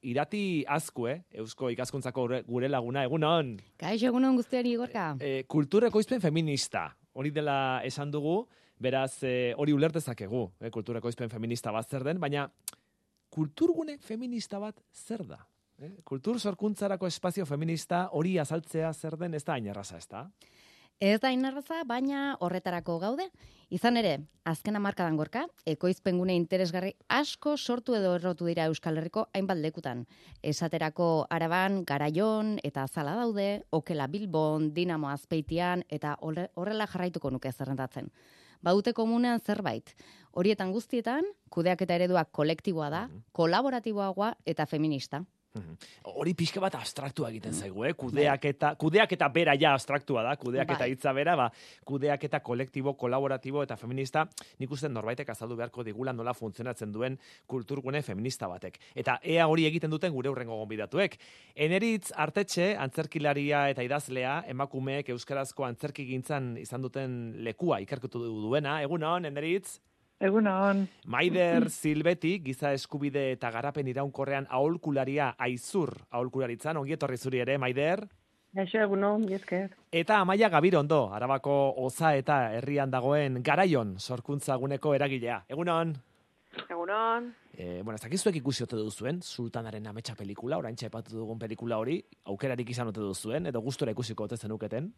Irati Azkue, Eusko Ikaskuntzako gure laguna, egunon. Kaixo, egunon guztiari Igorka. Kultur ekoizpen feminista, hori dela esan dugu, beraz hori ulertezakegu, kultur ekoizpen feminista bat zer den, baina kulturgune feminista bat zer da? Kultur sorkuntzarako espazio feminista hori azaltzea zer den ez da hain erraza, ez da? Ez da inarraza, baina horretarako gaude. Izan ere, azken hamarkadan Gorka, ekoizpengune interesgarri asko sortu edo errotu dira Euskal Herriko hainbat lekutan. Esaterako Araban, Garaion eta Azala daude, Okela Bilbon, Dinamo Azpeitian eta horrela jarraituko nuke zerrendatzen. Badute komunean zerbait. Horietan guztietan, kudeaketa ereduak kolektiboa da, kolaboratiboagoa eta feminista. Hori pixka bat abstraktua egiten zaigu, kudeaketa bera ja abstraktua da, kudeaketa hitza bera, kudeaketa kolektibo, kolaboratibo eta feminista, nik uste norbaitek azaldu beharko digula nola funtzionatzen duen kulturgune feminista batek. Eta ea hori egiten duten gure hurrengo gonbidatuek. Eneritz Artetxe, antzerkilaria eta idazlea, emakumeek euskarazko antzerkigintzan izan duten lekua ikerkutu duena. Egunon, Eneritz? Egunon. Maider Silbeti, giza eskubide eta garapen iraunkorrean aholkularia Aizur aholkularitzan, ongi etorri zuri ere, Maider? Gaixo, egunon, esker. Eta Amaia Gabirondo, Arabako Oza eta herrian dagoen Garaion sorkuntza guneko eragilea. Egunon? Egunon. Ez dakizuek ikusi ote duzuen, Sultanaren Ametsa pelikula, oraintxe aipatu dugun pelikula hori, aukerarik izan ote duzuen, edo gustora ikusiko ote zenuketen?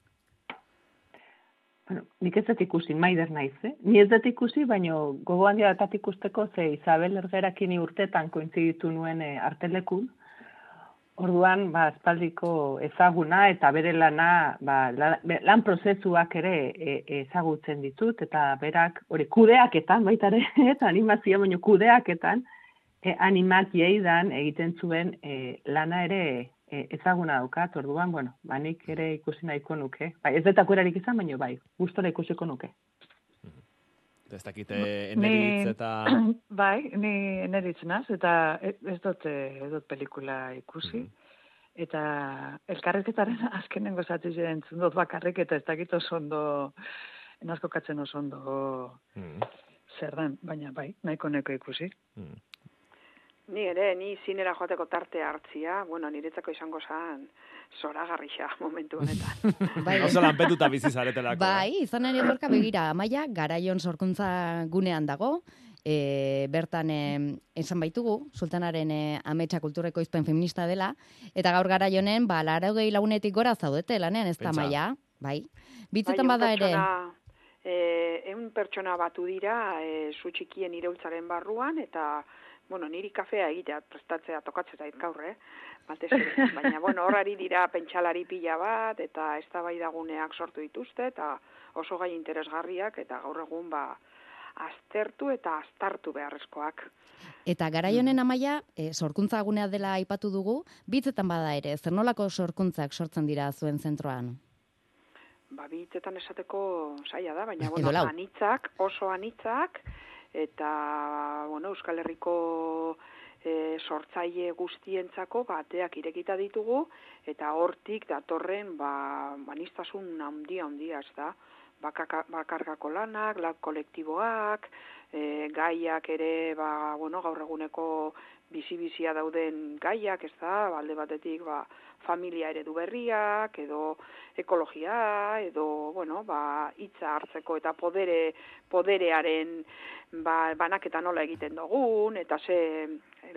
Bueno, nik ez dut ikusi, Maider naiz, Ni ez dut ikusi, baina gogoan diatat ikusteko ze Isabel Ergerakin urtetan kointziditu nuen artelekun. Orduan, espaldiko ezaguna eta bere lana, lan prozesuak ere ezagutzen ditut, eta berak, hori kudeaketan, baita ere, eta animazio, baina kudeaketan, animakieidan egiten zuen lana ere ezaguna daukat, orduan, nik ere ikusi nahiko nuke. Ez dut akurarik izan, baina gustora ikusiko nuke. Ez dakite Eneritz eta... Ni Eneritz naz, eta ez dut pelikula ikusi. Eta elkarrezketaren azkenengo zati ziren zundot bakarrik, eta ez dakit oso ondo, enazko katzen oso ondo zer dan, baina nahiko ikusi. Ni zinera joateko tartea hartzia, niretzako izango zen zoragarrixa momentu honetan. Oso lanpetuta bizi zaretelako. Izan ere Gorka begira, Amaia Garaion sorkuntza gunean dago, bertan esan baitugu, Sultanaren Ametsa kultureko izpen feminista dela, eta gaur Garaionen, 80 lagunetik gora zaudete lanean, ez da Amaia? Bitzetan bada ere... 100 pertsona batu dira, zu txikien iraultzaren barruan, eta niri kafea egitea prestatzea tokatzea gaur, batez ere. Baina, horari dira pentsalari pila bat, eta eztabaidaguneak sortu dituzte, eta oso gai interesgarriak, eta gaur egun aztertu eta aztartu beharrezkoak. Eta Garaionen Amaia, sorkuntza gunea dela aipatu dugu, bitzetan bada ere, zer nolako sorkuntzak sortzen dira zuen zentroan? Bitzetan esateko zaila da, baina, anitzak, oso anitzak, eta Euskal Herriko sortzaile guztientzako bateak irekita ditugu, eta hortik datorren aniztasun handia, ez da? Bakarkako lanak, kolektiboak, gaiak ere, gaur eguneko bizi-bizia dauden gaiak, ez da? Alde batetik, familia eredu berriak, edo ekologia, edo, hitza hartzeko eta poderearen banaketa nola egiten dugun, eta ze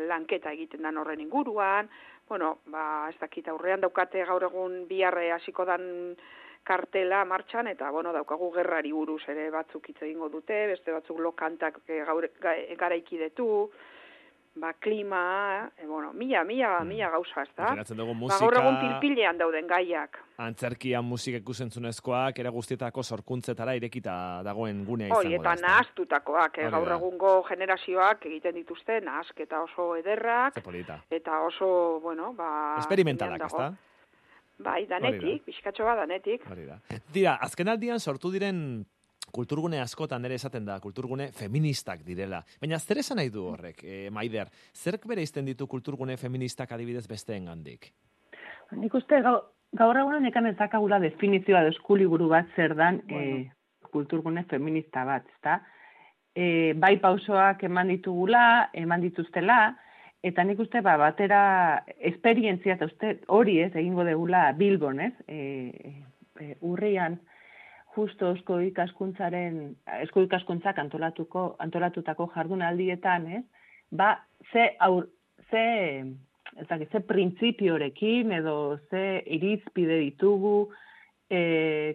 lanketa egiten den horren inguruan, ez dakit aurrean daukate gaur egun biharre hasiko dan kartela martxan, eta daukagu gerrari buruz ere batzuk hitz egingo dute, beste batzuk lokantak garaikidetu, klima, mila gauza, ez da? Gaur egun pilpilean dauden gaiak. Antzerkian musika ikusentzunezkoak, ere guztietako sorkuntzetara irekita dagoen gunea izango da. Eta nahaztutakoak, gaur egungo generazioak egiten dituzte, nahazketa oso ederrak, eta oso, esperimentalak, ez da? Danetik, pixkatxo danetik. Dira, azken aldian sortu diren kulturgune askotan ere esaten da, kulturgune feministak direla. Baina zer esan nahi du horrek, Maider? Zerk bere izten ditu kulturgune feministak adibidez besteen gandik? Nik uste gaur egunen ekan ezakagula definizioa deskuliburu bat zer dan kulturgune feminista bat, ezta? Bai pausoak eman dituztela, Eta nik uste, batera esperientzia, eta uste hori egingo degula Bilbon, urrian, justo eusko ikaskuntzak antolatutako jardunaldietan, ze printzipiorekin edo ze irizpide ditugu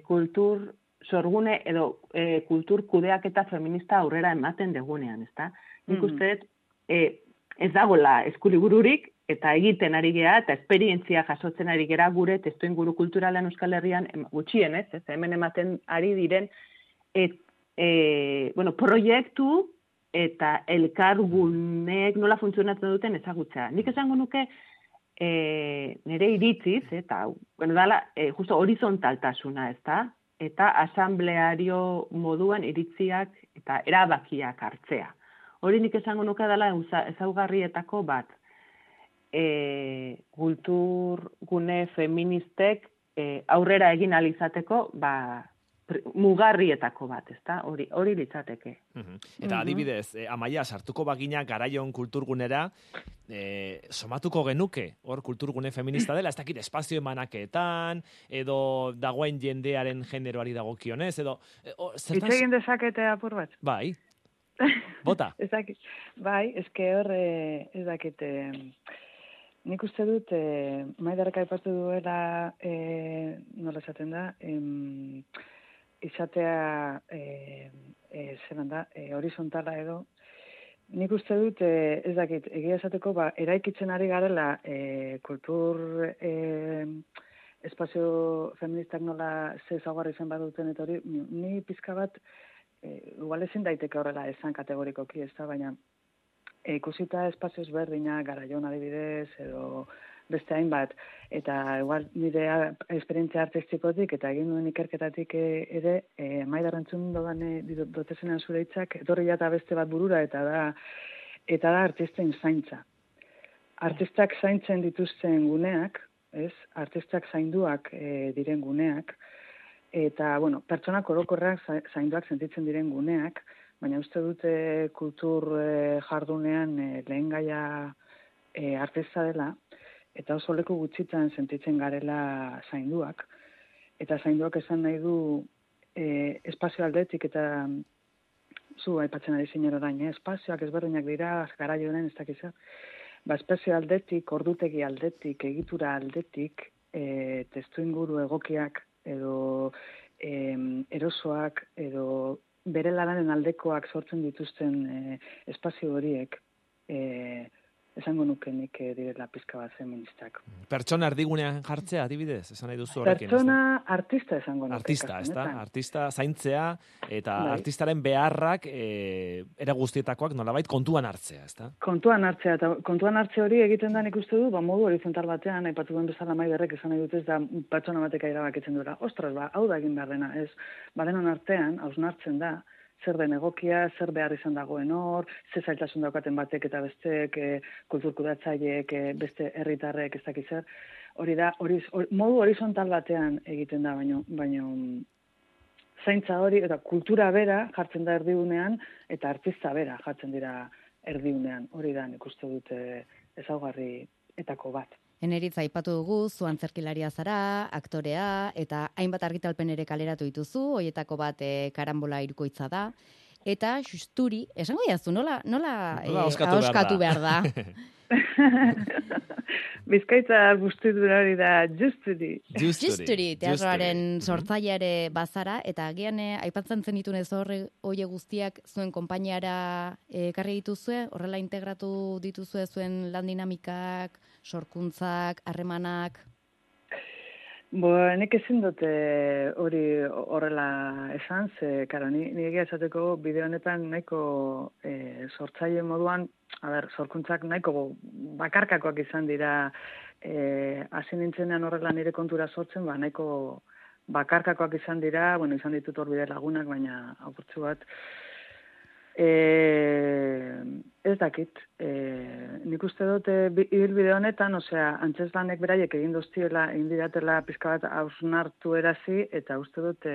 kultur sorgune edo kultur kudeaketa feminista aurrera ematen degunean, ezta? Nik uste, ez dagoela eskulibururik, eta egiten ari gera, eta esperientzia jasotzen ari gera gure testuinguru kulturalean Euskal Herrian gutxienez, hemen ematen ari diren proiektu eta elkargunek nola funtzionatzen duten ezagutza. Nik esango nuke nire iritziz, eta justo horizontaltasuna, ezta? Eta asambleario moduan iritziak eta erabakiak hartzea. Hori nik esango nuke dela ezaugarrietako bat. Kulturgune feministek aurrera egin alizateko mugarrietako bat, ezta? Hori litzateke. Eta adibidez, Amaia, sartuko bagina garaion kulturgunera, somatuko genuke, hor kulturgune feminista dela, ez dakit espazio emanaketan, edo dagoen jendearen generoari dagokionez, edo... Itzegin dezakete apur bat? Bai. Bota? Bai, eske hor, ez dakit... Nik uste dut, Maiderrek aipatu duela, nola esaten da, izatea, horizontala edo, nik uste dut, ez dakit, egia esateko, eraikitzen ari garela kultur espazio feministak nola zezagarri zen baduten, eta hori, ni pizka bat, igual ezin daiteke horrela esan kategorikoki, ez da, baina, ikusita espazio ezberdina, garaion adibidez, edo beste hainbat, eta igual nire esperientzia artistikotik eta egin duen ikerketatik ere, Maider entzun dotezenan zure hitzak, etorri jata beste bat burura, eta da artisten zaintza. Artistak zaintzen dituzten guneak, artistak zainduak diren guneak, eta, pertsonak orokorrak zainduak sentitzen diren guneak, baina uste dute kultur jardunean lehen gaia artista dela, eta oso leku gutxitan sentitzen garela zainduak. Eta zainduak esan nahi du espazio aldetik, eta zu aipatzen ari zinen orain, espazioak ezberdinak dira, garaioen ez dakiz. Espazio aldetik, ordutegi aldetik, egitura aldetik, testuinguru egokiak, edo erosoak, edo bere lanaren aldekoak sortzen dituzten espazio horiek, esango nukenik direla pizka bat feministak. Pertsona erdigunean jartzea, adibidez, esan nahi duzu horrekin. Pertsona artista esango nuke. Artista, ez da? Artista zaintzea, eta artistaren beharrak era guztietakoak nolabait kontuan hartzea, ez da? Kontuan hartzea, eta kontuan hartze hori egiten da nik uste du, modu horizontal batean, aipatu duen bezala Maiderrek esan nahi dut ez da pertsona batek erabakitzen duela. Ostras, hau da egin behar dena, ez? Badenon artean, hausnartzen da, zer den egokia, zer behar izan dagoen hor, ze zailtasun daukaten batek eta besteek, kulturkudatzaileek, beste herritarrek, ez dakiz zer. Hori da, modu horizontal batean egiten da, baino zaintza hori, eta kultura bera jartzen da erdigunean, eta artista bera jartzen dira erdigunean. Hori da, nik uste dute ezaugarrietako bat. Eneritz aipatu dugu, zu antzerkilaria zara, aktorea, eta hainbat argitalpen ere kaleratu dituzu, hoietako bat karambola irukoitza da, eta justuri, esango diazu, nola ahoskatu behar da? Bizkaitza guztitura hori da justuri. Justuri, teatroaren sortzaileare bazara, eta agian aipatzen zenitun ez hori guztiak zuen konpainiara ekarri dituzue, horrela integratu dituzue zuen lan dinamikak, sorkuntzak, harremanak? Nik ezin dute hori horrela esan, ni egia esateko bideo honetan nahiko sortzaile moduan, sorkuntzak nahiko bakarkakoak izan dira, hasi nintzenean horrela nire kontura sortzen, nahiko bakarkakoak izan dira, izan ditut hor bide lagunak, baina apurtzu bat, ez dakit, nik uste dut ibilbide honetan, antzeslanek beraiek egin didatela pizka bat hausnartu erazi, eta uste dut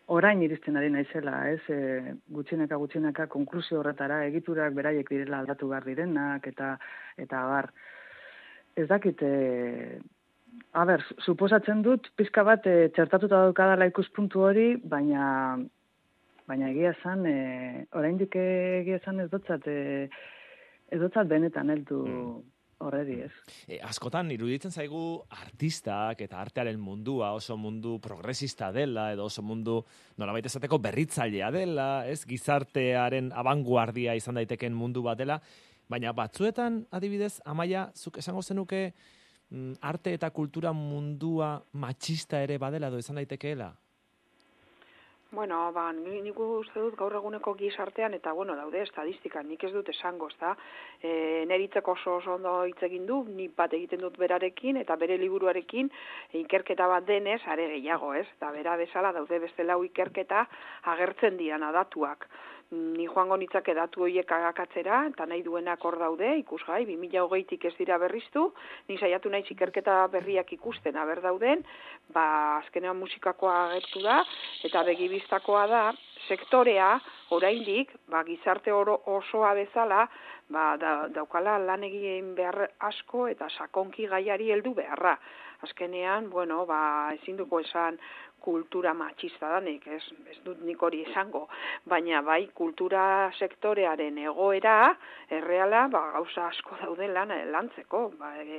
orain iristen ari naizela, ez, gutxinaka konklusio horretara, egiturak beraiek direla aldatu behar direnak, eta bar, ez dakit, suposatzen dut, pizka bat txertatuta daukadala ikuspuntu hori, baina egia esan, oraindik egia esan ez dotzat benetan heldu horredi, ez. Askotan, iruditzen zaigu artistak eta artearen mundua oso mundu progresista dela, edo oso mundu nolabait esateko berritzailea dela, ez, gizartearen abanguardia izan daiteken mundu bat dela, baina batzuetan, adibidez, Amaia, zuk esango zenuke arte eta kultura mundua matxista ere badela edo izan daitekeela? Bueno, nik uste dut gaur eguneko gizartean, eta daude estadistika, nik ez dut esango, ezta? Neritzeko oso ondo hitz egin du, nik bat egiten dut berarekin, eta bere liburuarekin ikerketa bat denez, are gehiago, ez? Eta bera bezala daude beste lau ikerketa agertzen diana datuak. Ni joango nitzake datu horiek agakatzera, eta nahi duenak hor daude, ikusgai, 2020tik ez dira berriztu, ni saiatu naiz ikerketa berriak ikusten, aber dauden, azkenean musikakoa agertu da, eta begibistakoa da, sektorea, oraindik, gizarte osoa bezala, daukala lan egin behar asko, eta sakonki gaiari heldu beharra. Azkenean, ezin duko esan kultura matxista danik, ez dut nik hori esango, baina bai kultura sektorearen egoera, erreala, gauza asko dauden lantzeko,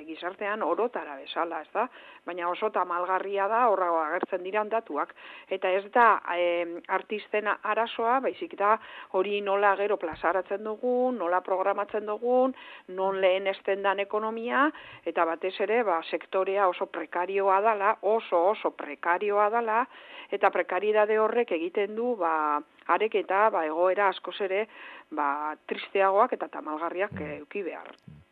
gizartean orotara bezala, ez da? Baina oso tamalgarria da, horra agertzen diran datuak, eta ez da artisten arazoa, baizik da hori nola gero plazaratzen dugun, nola programatzen dugun, non lehen estendan ekonomia, eta batez ere, sektorea oso prekarioa dala, oso prekarioa dala, eta prekaridade horrek egiten du areketa egoera askoz ere tristeagoak eta tamalgarriak eduki behar.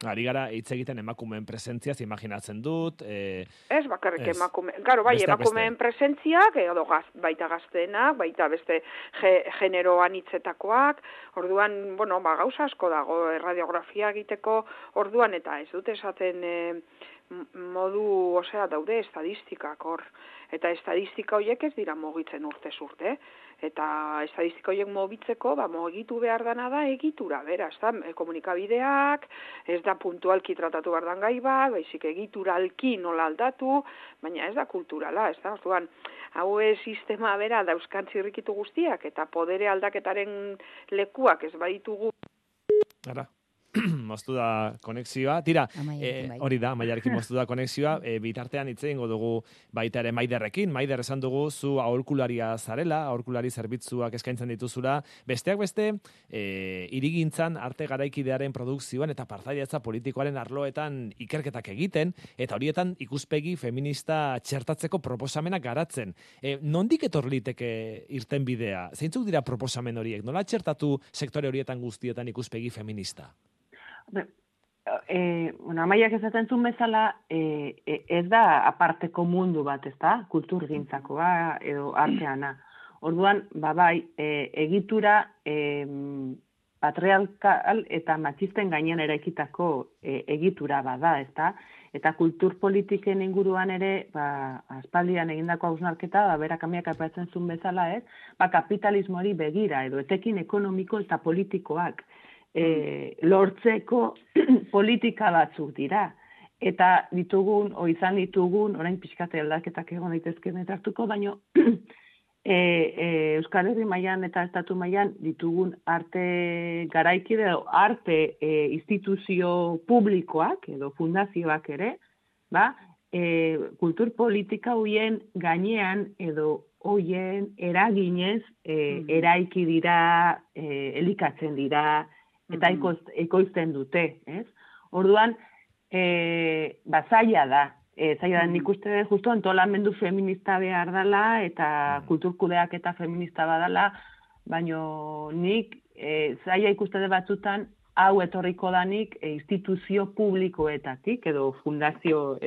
Ari gara hitz egiten emakumeen presentziaz, imaginatzen dut. Ez bakarrik emakumeen, emakumeen presentziak, baita gazteenak, baita beste genero anitzetakoak, orduan, gauza asko dago radiografia egiteko orduan, eta ez dut esaten modu, daude estadistikak hor, eta estadistika horiek ez dira mugitzen urtez urte, eta estadistika horiek mugitzeko, mugitu behar dana da egitura, bera, ez da, komunikabideak, ez da puntualki tratatu behar dan gai bat, baizik egituralki nola aldatu, baina ez da kulturala, ez da, orduan, hau sistema bera dauzkan zirrikitu guztiak, eta podere aldaketaren lekuak ez baditugu. Ara. Moztu da konexioa. Tira, hori da, Amaiarekin moztu da konexioa. Bitartean hitz egingo dugu baita ere Maiderrekin. Maider, esan dugu zu aholkularia zarela, aholkulari zerbitzuak eskaintzen dituzula. Besteak beste, hirigintzan arte garaikidearen produkzioan eta partaidetza politikoaren arloetan ikerketak egiten, eta horietan ikuspegi feminista txertatzeko proposamenak garatzen. Nondik etor liteke irtenbidea? Zeintzuk dira proposamen horiek? Nola txertatu sektore horietan guztietan ikuspegi feminista? Amaiak esaten zuen bezala, ez da aparteko mundu bat, ez da, kulturgintzakoa edo arteana. Orduan, egitura patriarkal eta matxisten gainean eraikitako egitura bada, ez da, eta kulturpolitiken inguruan ere, aspaldian egindako hausnarketa, berak Amaiak aipatzen zuen bezala, ez, kapitalismoari begira edo etekin ekonomiko eta politikoak lortzeko politika batzuk dira. Eta izan ditugun, orain pixkate aldaketak egon daitezkeen hartuko, baina Euskal Herri mailan eta estatu mailan ditugun arte garaikide edo arte instituzio publikoak edo fundazioak ere, kultur politika hoien gainean edo hoien eraginez eraiki dira, elikatzen dira, eta ekoizten dute, ez? Orduan, zaila da. Zaila da, nik uste justu antolamendu feminista behar dela, eta kulturkudeak eta feminista badala, baina nik zaila ikuste batzutan, hau etorriko danik instituzio publikoetatik, edo fundazio,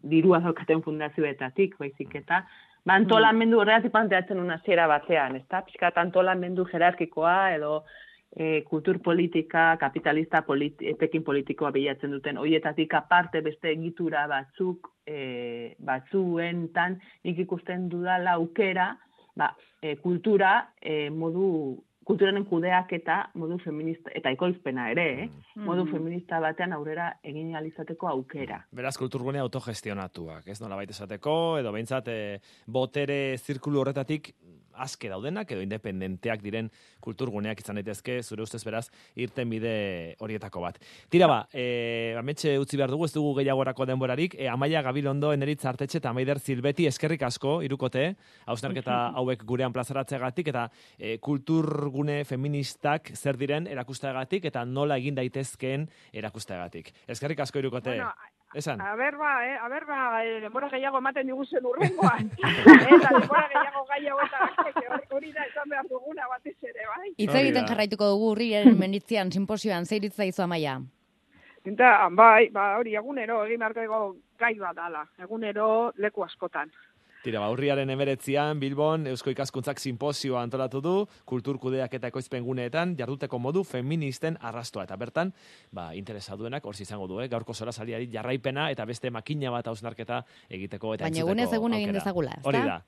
dirua daukaten fundazioetatik, baizik eta, antolamendu horregatik planteatzen una hasiera batean, ez da? Pixkat antolamendu jerarkikoa, edo kultur politika, kapitalista etekin politikoa bilatzen duten, horietatik aparte beste egitura batzuentan nik ikusten dudala aukera kulturaren kudeaketa modu feminista, eta ekoizpena ere, modu feminista batean aurrera egin alizateko aukera. Beraz, kulturgune autogestionatuak, ez nola baita esateko, edo behintzat botere zirkulu horretatik aske daudenak, edo independenteak diren kulturguneak izan daitezke, zure ustez beraz, irten bide horietako bat. Tira ametxe utzi behar dugu, ez dugu gehiagorako denborarik, Amaia Gabilondo, Eneritz Artetxe eta Maider Zilbeti eskerrik asko, irukote, hausnarketa hauek gurean plazaratzeagatik, eta kulturgune feministak zer diren erakusteagatik, eta nola egin daitezkeen erakusteagatik. Eskerrik asko, irukote. Bueno, esan. Denbora gehiago ematen diguzen urrengoan. Eta denbora gehiago hori da esan behar duguna batez ere, bai? Hitz egiten jarraituko dugu urriaren menitzian, simposioan, zeiritza izu Amaia? Hori, egunero egin beharko gai bat dala. Egunero leku askotan. Tira, urriaren 19an Bilbon Eusko Ikaskuntzak simposioa antolatu du, kulturkudeak eta ekoizpen guneetan jarduteko modu feministen arrastoa. Eta bertan, interesaduenak hor izango du, gaurko solasaliari jarraipena eta beste makina bat hausnarketa egiteko eta entzuteko. Baina egunez egun egin dezagula, ezta?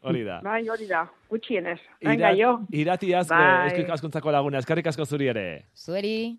Hori da. Bai, hori da. Gutxienez. Venga, jo. Irati Eusko Ikaskuntzako laguna. Eskerrik asko zuri ere. Zueri.